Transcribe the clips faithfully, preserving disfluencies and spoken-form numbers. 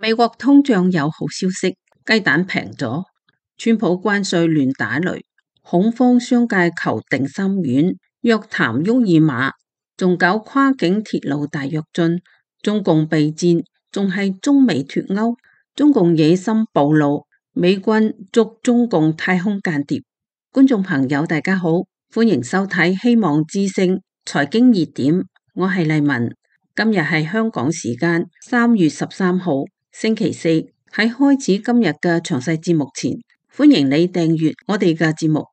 美國通脹有好消息，雞蛋平咗。川普關稅亂打雷，恐慌商界求定心丸，約談沃爾瑪，仲搞跨境鐵路大躍進。中共備戰，仲係中美脫鈎。中共野心暴露，美軍捉中共太空間諜。觀眾朋友大家好，歡迎收睇希望之聲財經熱點，我係麗文。今日係香港時間三月十三號星期四。喺開始今日嘅詳細節目前，歡迎你訂閱我哋嘅節目。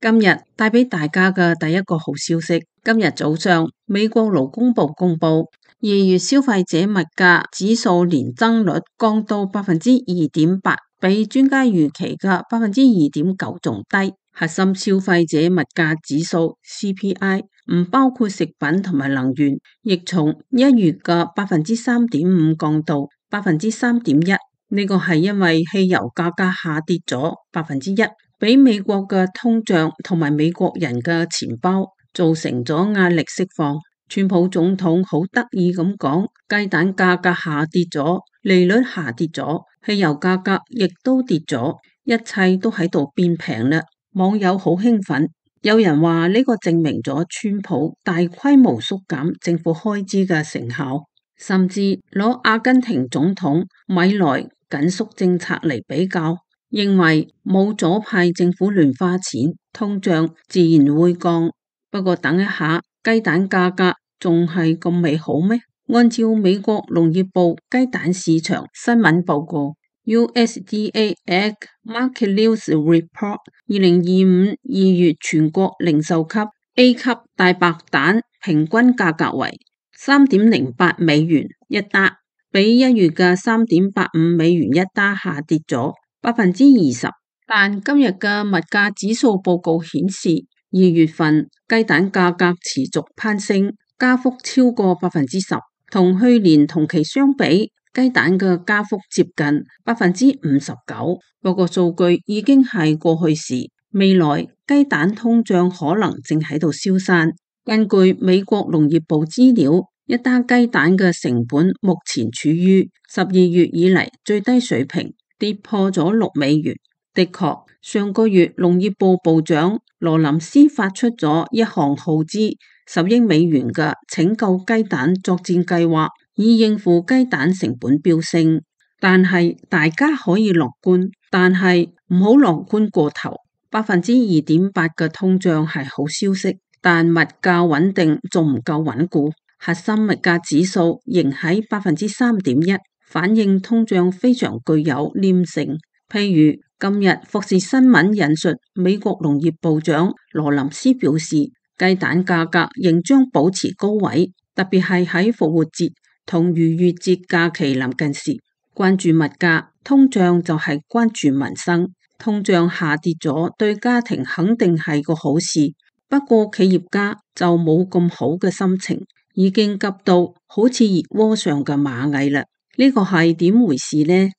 今日帶俾大家嘅第一個好消息，今日早上美國勞工部公布二月消費者物價指數年增率降到百分之二點八，比專家預期嘅百分之二點九仲低。核心消費者物價指數 C P I 唔包括食品同埋能源，亦從一月嘅百分之三點五降到百分之三點一。呢個係因為汽油價格下跌咗百分之一，俾美國嘅通脹同埋美國人嘅錢包造成咗壓力釋放。川普總統好得意咁講，雞蛋價格下跌咗，利率下跌咗，汽油價格亦都跌咗，一切都喺度變平啦。網友好興奮，有人話呢個證明咗川普大規模縮減政府開支嘅成效，甚至攞阿根廷總統米萊緊縮政策嚟比較，認為冇左派政府亂花錢，通脹自然會降。不過等一下，雞蛋價格仲係咁美好咩？按照美國農業部雞蛋市場新聞報告 U S D A Egg Market News Report， 二零二五二月全國零售級 A 級大白蛋平均價格為三點零八美元一打，比一月嘅三點八五美元一打下跌咗百分之二十。但今日嘅物價指數報告顯示，二月份雞蛋價格持續攀升，加幅超過百分之十，同去年同期相比，雞蛋嘅加幅接近百分之五十九。不過數據已經係過去時，未來雞蛋通脹可能正喺度消散。根據美國農業部資料，一打雞蛋嘅成本目前處於十二月以嚟最低水平，跌破咗六美元。的確，上個月農業部部長羅林斯發出咗一項耗資十億美元嘅拯救雞蛋作戰計劃，以應付雞蛋成本飆升。但係大家可以樂觀，但係唔好樂觀過頭。百分之二點八嘅通脹係好消息，但物價穩定仲唔夠穩固。核心物價指數仍喺百分之三點一，反映通脹非常具有黏性。譬如今日福士新聞引述美國農業部長羅林斯表示，雞蛋價格仍將保持高位，特別係喺復活節同逾越節假期臨近時。關注物價，通脹就係關注民生。通脹下跌咗，對家庭肯定係個好事。不過企業家就冇咁好嘅心情，已經急到好似熱鍋上嘅螞蟻啦。呢個係點回事呢？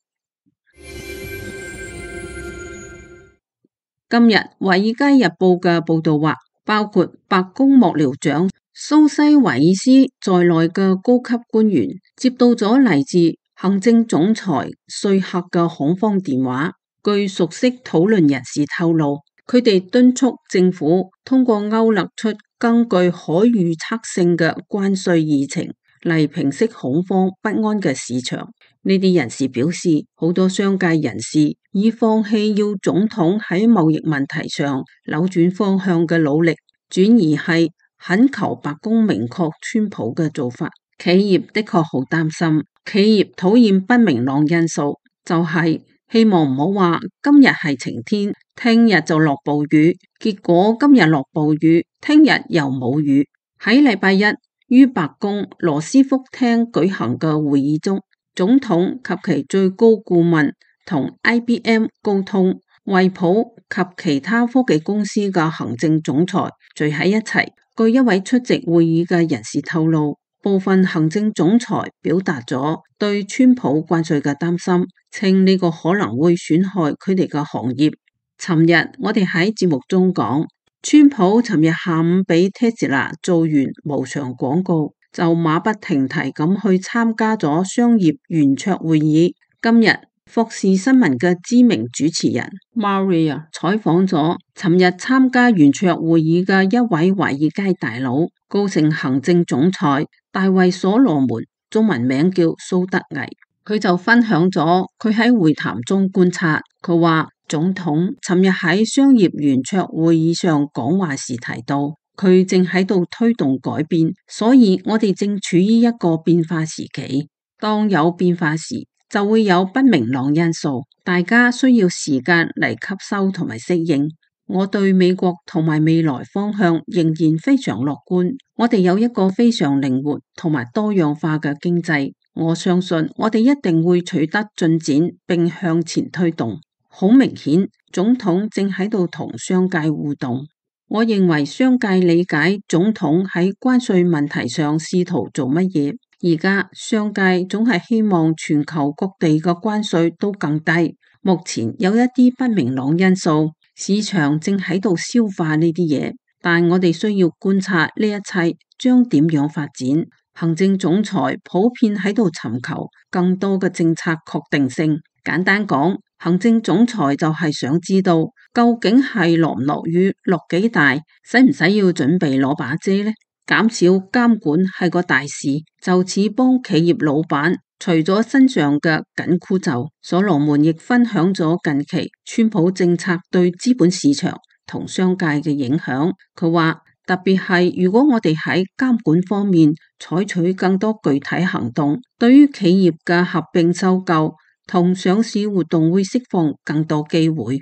今日《華爾街日報》嘅報道話，包括白宮幕僚長蘇西維爾斯在內嘅高級官員接到咗嚟自行政總裁瑞克嘅恐慌電話。據熟悉討論人士透露，佢哋敦促政府通過勾勒出根據可預測性嘅關稅議程嚟平息恐慌不安嘅市場。呢啲人士表示，好多商界人士已放棄要總統喺貿易問題上扭轉方向嘅努力，轉而係懇求白宮明確川普嘅做法。企業的確好擔心，企業討厭不明朗因素，就係、是、希望唔好話今日係晴天，聽日就落暴雨，結果今日落暴雨，聽日又冇雨。喺禮拜一於白宮羅斯福廳舉行嘅會議中，總統及其最高顧問同 I B M 高通、惠普及其他科技公司嘅行政總裁聚喺一齊。據一位出席會議嘅人士透露，部分行政總裁表達咗對川普關稅嘅擔心，稱呢個可能會損害佢哋嘅行業。尋日我哋喺節目中講，川普尋日下午俾 Tesla 做完無償廣告，就馬不停蹄咁去參加咗商業圓桌會議。今日霍士新聞嘅知名主持人 Maria 採訪咗尋日參加圓桌會議嘅一位華爾街大佬，高盛行政總裁大衛所羅門，中文名叫蘇德毅。佢就分享咗佢喺會談中觀察。佢話總統尋日喺商業圓桌會議上講話時提到，佢正喺度推動改變，所以我哋正處於一個變化時期。當有變化時，就會有不明朗因素，大家需要時間嚟吸收同埋適應。我對美國同埋未來方向仍然非常樂觀。我哋有一個非常靈活同埋多樣化嘅經濟。我相信我哋一定會取得進展並向前推動。好明顯，總統正喺度同商界互動。我認為商界理解總統喺關稅問題上試圖做乜嘢。而家商界總係希望全球各地嘅關稅都更低。目前有一啲不明朗因素，市場正喺度消化呢啲嘢，但我哋需要觀察呢一切將點樣發展。行政總裁普遍喺度尋求更多嘅政策確定性。簡單講，行政總裁就係想知道究竟係落唔落雨，落幾大，使唔使要準備攞把遮呢？減少監管係個大事，就似幫企業老闆除咗身上嘅緊箍咒。所羅門亦分享咗近期川普政策對資本市場同商界嘅影響。佢話特別係如果我哋喺監管方面採取更多具體行動，對於企業嘅合併收購同上市活動會釋放更多機會。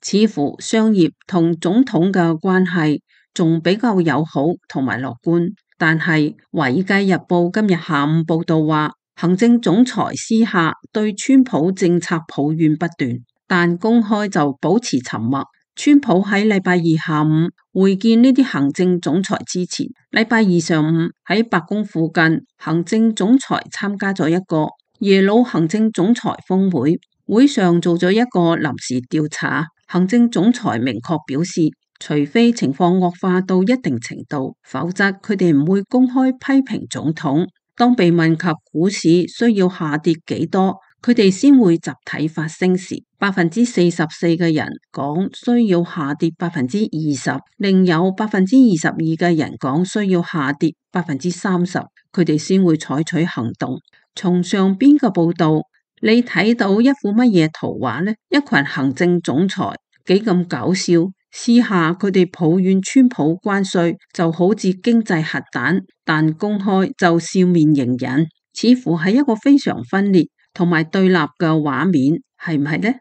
似乎商業同總統嘅關係仲比較友好同埋樂觀，但係《華爾街日報》今日下午報道話，行政總裁私下對川普政策抱怨不斷，但公開就保持沉默。川普喺禮拜二下午會見呢啲行政總裁之前，禮拜二上午喺白宮附近，行政總裁參加咗一個耶魯行政總裁峰會，會上做咗一個臨時調查。行政總裁明確表示，除非情況惡化到一定程度，否則佢哋唔會公開批評總統。當被問及股市需要下跌幾多，佢哋先會集體發聲時，百分之四十四嘅人講需要下跌百分之二十，另有百分之二十二嘅人講需要下跌百分之三十，佢哋先會採取行動。從上邊嘅報道，你睇到一幅乜嘢圖畫呢？一群行政總裁幾咁搞笑，私下佢哋抱怨川普關稅就好似經濟核彈，但公開就笑面迎人，似乎係一個非常分裂同埋對立嘅畫面，係唔係呢？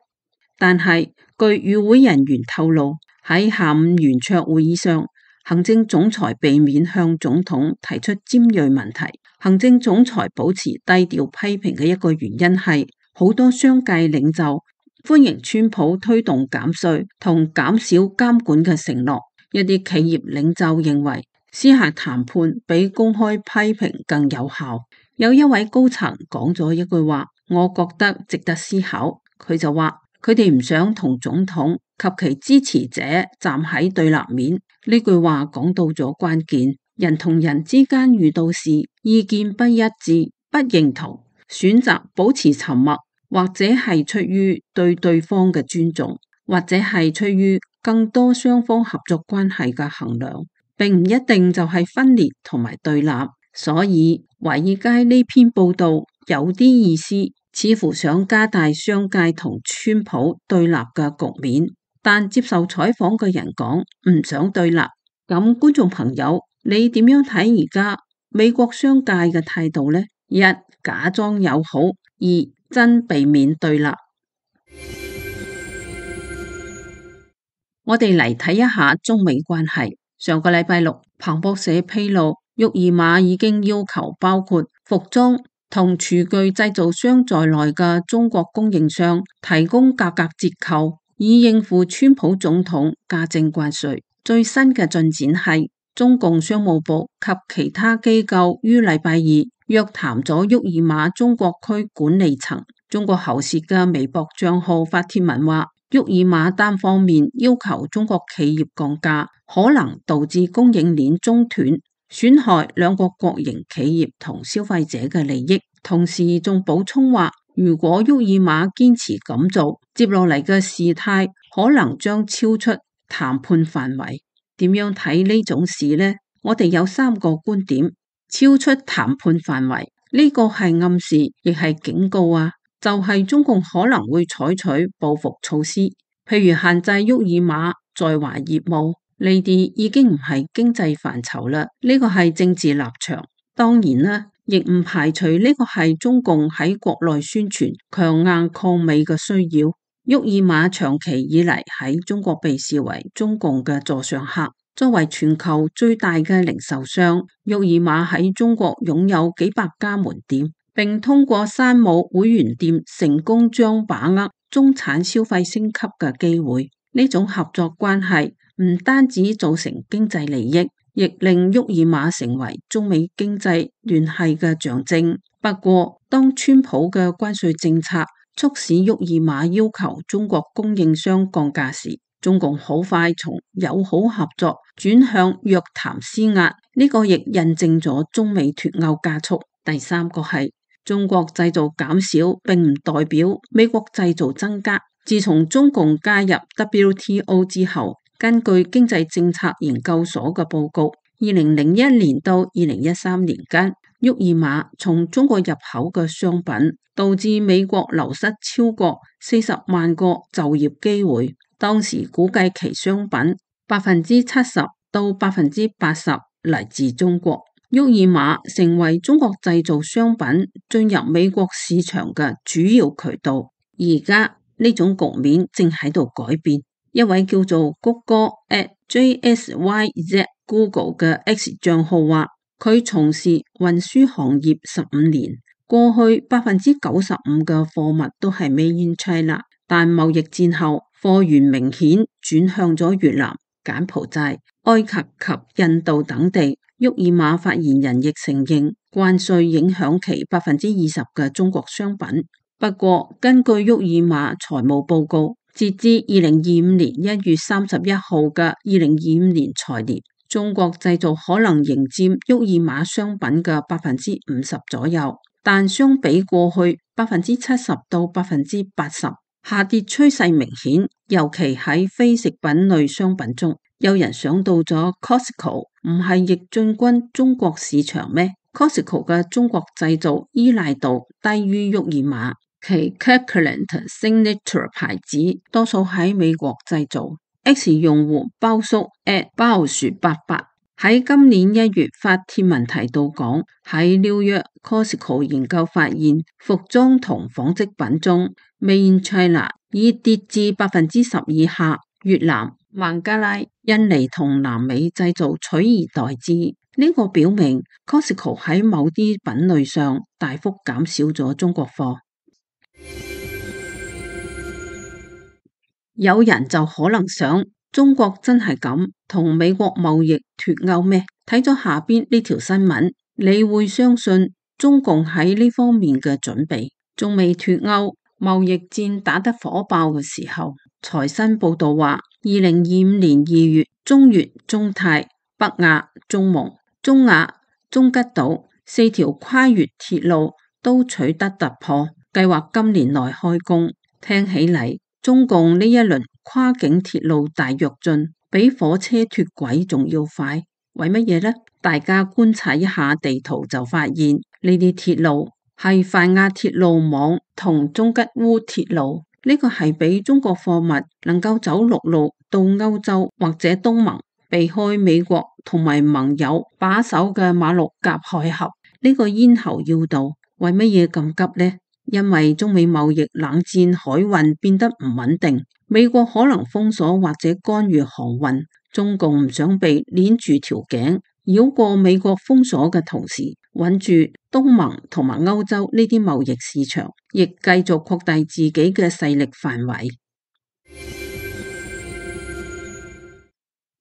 但係據與會人員透露，喺下午圓桌會議上，行政總裁避免向總統提出尖銳問題。行政總裁保持低調批評嘅一個原因係，好多商界領袖歡迎川普推動減稅同減少監管嘅承諾。一啲企業領袖認為，私下談判比公開批評更有效。有一位高層講咗一句話，我覺得值得思考。佢就話，佢哋唔想同總統及其支持者站喺對立面。呢句話講到咗關鍵，人同人之間遇到事，意見不一致、不認同，選擇保持沉默，或者係出於對對方嘅尊重，或者係出於更多雙方合作關係嘅衡量，並唔一定就係分裂同埋對立。所以華爾街呢篇報道有啲意思，似乎想加大商界同川普對立嘅局面，但接受採訪嘅人講唔想對立。咁觀眾朋友，你點樣睇而家美國商界嘅態度呢？一、假裝友好；二、真避免對立。我哋嚟睇一下中美關係。上個禮拜六，彭博社披露，沃爾瑪已經要求包括服裝同廚具製造商在內嘅中國供應商提供價格折扣，以應付川普總統加徵關稅。最新嘅進展係，中共商務部及其他機構於禮拜二約談咗沃爾瑪中國區管理層。中國喉舌嘅微博賬號發帖文話，沃爾瑪單方面要求中國企業降價，可能導致供應鏈中斷，損害兩個國營企業同消費者嘅利益。同時仲補充話，如果沃爾瑪堅持咁做，接落嚟嘅事態可能將超出談判範圍。點樣睇呢種事呢？我哋有三個觀點。超出談判範圍，呢個係暗示，亦係警告啊！就係中共可能會採取報復措施，譬如限制沃爾瑪在華業務，呢啲已經唔係經濟範疇啦，呢個係政治立場。當然啦，亦唔排除呢個係中共喺國內宣傳強硬抗美嘅需要。沃爾瑪長期以嚟喺中國被視為中共嘅座上客。作為全球最大嘅零售商，沃爾瑪喺中國擁有幾百家門店，並通過山姆會員店成功將把握中產消費升級嘅機會。呢種合作關係唔單止造成經濟利益，亦令沃爾瑪成為中美經濟聯繫嘅象徵。不過，當川普嘅關稅政策促使沃爾瑪要求中國供應商降價時，中共好快從友好合作轉向約談施壓，呢個亦印證咗中美脫鈎加速。第三個係中國製造減少，並唔代表美國製造增加。自從中共加入 W T O 之後，根據經濟政策研究所嘅報告，二零零一年到二零一三年間，沃爾瑪從中國入口嘅商品導致美國流失超過四十萬個就業機會。當時估計其商品百分之七十到百分之八十嚟自中國，沃爾瑪成為中國製造商品進入美國市場嘅主要渠道。而家呢種局面正喺度改變。一位叫做谷歌 at J S Y Z Google 嘅 X 賬號話，佢從事運輸行業十五年，過去百分之九十五嘅貨物都係 Made in China， 但貿易戰後，貨源明顯轉向咗越南、柬埔寨、埃及及印度等地。沃爾瑪發言人亦承認關稅影響其百分之二十嘅中國商品。不過，根據沃爾瑪財務報告，截至二零二五年一月三十一號嘅二零二五年財年，中國製造可能仍佔沃爾瑪商品嘅百分之五十左右，但相比過去百分之七十到百分之八十。下跌趨勢明顯，尤其喺非食品類商品中。有人想到咗 Costco 唔係亦進軍中國市場咩？ Costco 嘅中國製造依賴度低於沃爾瑪，其 Kirkland Signature 牌子多數喺美國製造。X 用戶包叔 at 包薯八八喺今年一月發帖文提到講，喺紐約 Costco 研究發現，服裝同紡織品中 Made in China 已跌至百分之十以下，越南、孟加拉、印尼同南美製造取而代之。呢、這個表明 Costco 喺某啲品類上大幅減少咗中國貨。有人就可能想，中國真係咁同美國貿易脫鈎咩？睇咗下邊呢條新聞，你會相信中共喺呢方面嘅準備仲未脫鈎。貿易戰打得火爆嘅時候，財新報道話，二零二五年二月，中越、中泰、北亞、中蒙、中亞、中吉島四條跨越鐵路都取得突破，計劃今年內開工。聽起嚟，中共呢一輪跨境鐵路大躍進比火車脫軌仲要快，為乜嘢呢？大家觀察一下地圖就發現，呢啲鐵路係泛亞鐵路網同中吉烏鐵路，呢個係俾中國貨物能夠走陸路到歐洲或者東盟，避開美國同埋盟友把守嘅馬六甲海峽呢個咽喉要道。為乜嘢咁急呢？因為中美貿易冷戰海運變得唔穩定，美國可能封鎖或者干預航運，中共唔想被鏈住條頸，繞過美國封鎖嘅同時，穩住東盟同埋歐洲呢啲貿易市場，亦繼續擴大自己嘅勢力範圍。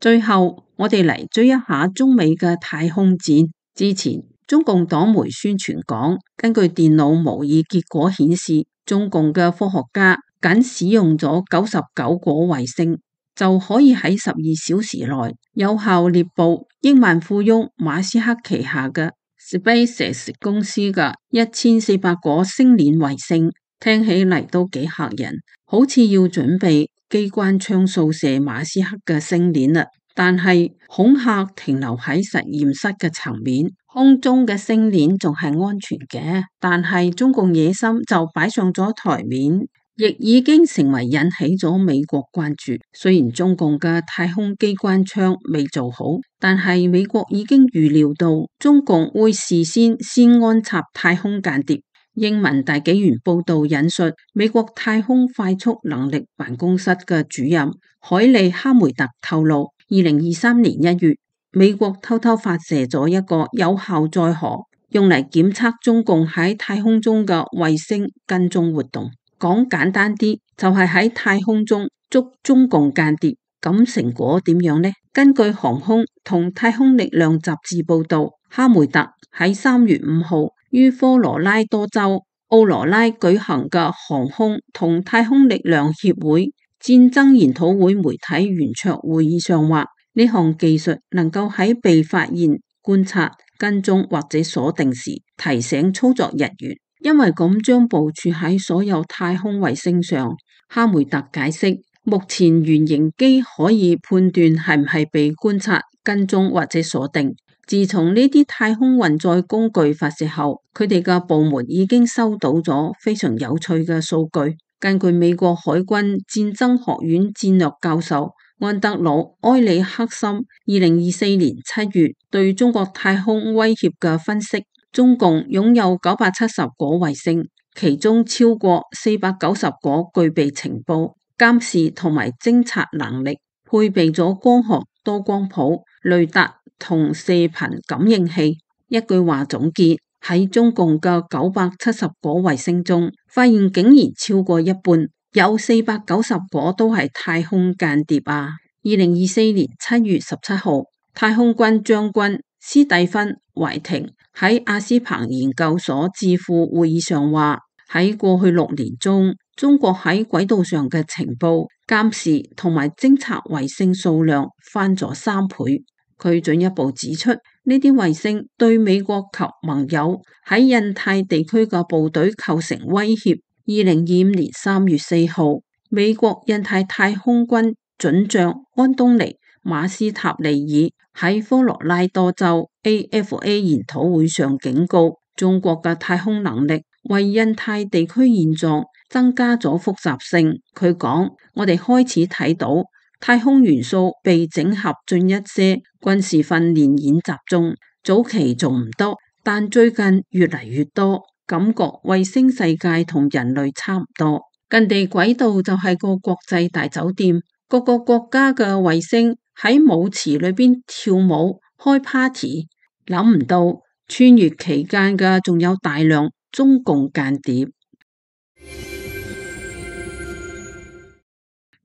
最後，我哋嚟追一下中美嘅太空戰。之前中共黨媒宣傳講，根據電腦模擬結果顯示，中共嘅科學家僅使用咗九十九顆衛星，就可以喺十二小時內有效獵捕億萬富翁馬斯克旗下嘅 SpaceX 公司嘅一千四百顆星鏈衛星。聽起嚟都幾嚇人，好似要準備機關槍掃射馬斯克嘅星鏈啦。但係恐嚇停留喺實驗室嘅層面，空中嘅星鏈仲係安全嘅，但係中共野心就擺上咗台面，亦已經成為引起咗美國關注。雖然中共嘅太空機關槍未做好，但係美國已經預料到中共會事先先安插太空間諜。英文大紀元報道引述美國太空快速能力辦公室嘅主任海利哈梅特透露，二零二三年一月，美國偷偷發射咗一個有效載荷，用嚟檢測中共喺太空中嘅衛星跟蹤活動。講簡單啲，就係喺太空中捉中共間諜。咁成果點樣呢？根據航空同太空力量雜誌報道，哈梅特喺三月五號於科羅拉多州奧羅拉舉行嘅航空同太空力量協會戰爭研討會媒體圓桌會議上話，呢項技術能夠喺被發現、觀察、跟蹤或者鎖定時提醒操作人員，因為咁將部署喺所有太空衛星上。哈梅特解釋，目前原型機可以判斷係唔係被觀察、跟蹤或者鎖定。自從呢啲太空運載工具發射後，佢哋嘅部門已經收到咗非常有趣嘅數據。根據美國海軍戰爭學院戰略教授安德魯埃里克森二零二四年七月對中國太空威脅嘅分析，中共擁有九百七十顆衛星，其中超過四百九十顆具備情報、監視同埋偵察能力，配備咗光學多光譜、雷達同射頻感應器。一句話總結，喺中共嘅九百七十顆衛星中，發現竟然超過一半，有四百九十顆都係太空間諜啊！二零二四年七月十七號，太空軍將軍斯蒂芬懷廷喺阿斯彭研究所智庫會議上話，喺過去六年中，中國喺軌道上嘅情報、監視同埋偵察衛星數量翻咗三倍。佢進一步指出，呢啲衛星對美國及盟友喺印太地區嘅部隊構成威脅。二零二五年三月四號，美國印太太空軍准將安東尼馬斯塔利爾喺科羅拉多州 A F A 研討會上警告，中國嘅太空能力為印太地區現狀增加咗複雜性。佢講，我哋開始睇到太空元素被整合進一些軍事訓練演習中，早期仲唔多，但最近越嚟越多，感覺衛星世界同人類差唔多。近地軌道就係個國際大酒店，各個國家嘅衛星喺舞池裏邊跳舞開 party， 諗唔到穿越期間嘅仲有大量中共間諜。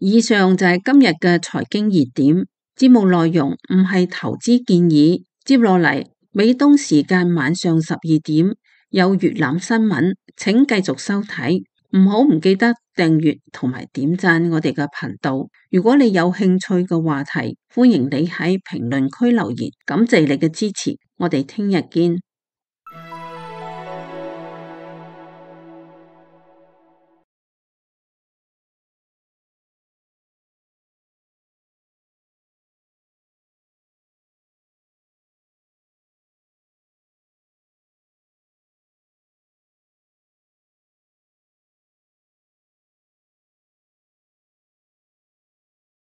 以上就係今日嘅財經熱點，節目內容唔係投資建議。接落嚟，美東時間晚上十二點有粵覽新聞，請繼續收睇。唔好唔記得訂閱同埋點讚我哋嘅頻道。如果你有興趣嘅話題，歡迎你喺評論區留言。感謝你嘅支持，我哋聽日見。